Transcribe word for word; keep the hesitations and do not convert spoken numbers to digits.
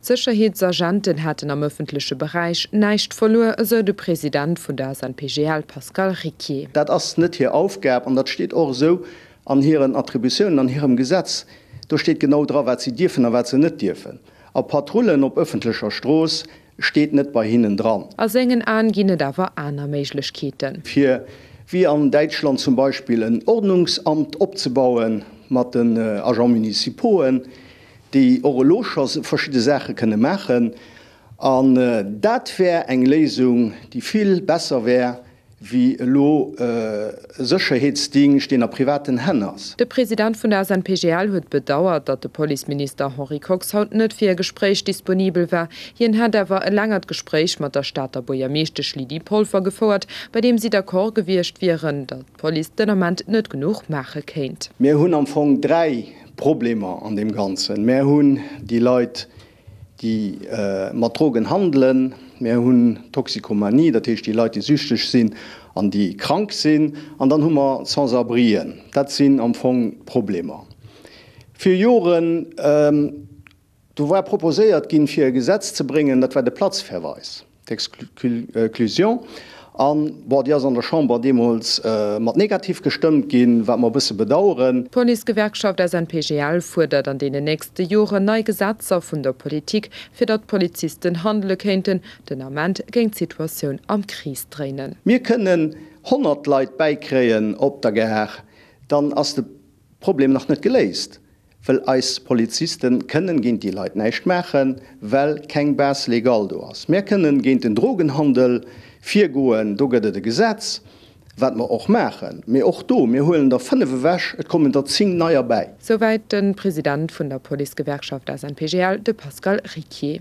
D'Sécherheetsagenten hätten am ëffentleche Beräich näischt verluer, esou de President vun der S N P G L Pascal Ricquier. Dat ass net hir Aufgab an dat steet och esou an hiren Attributiounen, an hirem Gesetz. Do steet genau dra wat si dierfen a wat se net dierfen. A Patrullen op ëffentlecher Strooss steet net bei hinnen dran. A sengen Aen ginn et awer aner Méiglechkeeten. Fir wéi an Däitschland zum Beispill en Ordnungsamt opzebauen mat den Agents municipauxen, déi och elo scho verschidde Saache kënne maachen. An dat wär eng Léisung, déi vill besser wär wéi elo e Sécherheetsdingscht, deen a privaten Hänn ass. De President vun der S N P G L huet bedauert, datt de Policeminister Henri Kox haut net fir e Gespréich disponibel war. Hien hätt awer e längert Gespréich mat der Stater Buergermeeschtesch Lydie Polfer gefouert, bei deem si d'accord gewiescht wieren, datt d'Police den Ament net genuch maache kéint. Mir hunn am Fong dräi Problemer an deem Ganzen. Mir hunn déi Leit, déi mat Drogen handelen, mir hunn Toxikomanie, dat heescht déi Leit, déi süchteg sinn an déi krank sinn, an dann hu mer d'Sans-abrien. Dat sinn am Fong d'Problemer. Vir Joren, do war proposéiert ginn, fir e Gesetz ze bréngen, dat war de Platzverweis, d'Exclusion. An, bon, déi ass an der Chamber deemools mat negativ gestëmmt ginn, wat mer e bësse bedauern. D'Policegewerkschaft S N P G L fuerdert an deenen nächste Joren nei Gesetzer vun der Politik, fir datt d'Polizisten handele kéinten. Den Ament géing d'Situatioun am Krees dréinen. Mir kënnen honnert Leit bäikréien op der Gare, dann ass de Problem nach net geléist, well eis Polizisten kënnen géint déi Leit näischt maachen, well keng Base légale do ass. Mir kënnen géint den Drogenhandel virgoen, do gëtt et e Gesetz, wat mer och maachen, mee och do, mir huelen der fënnef ewech, et kommen der zéng neier bäi. Souwäit de President vun der Policegewerkschaft S N P G L, de Pascal Ricquier.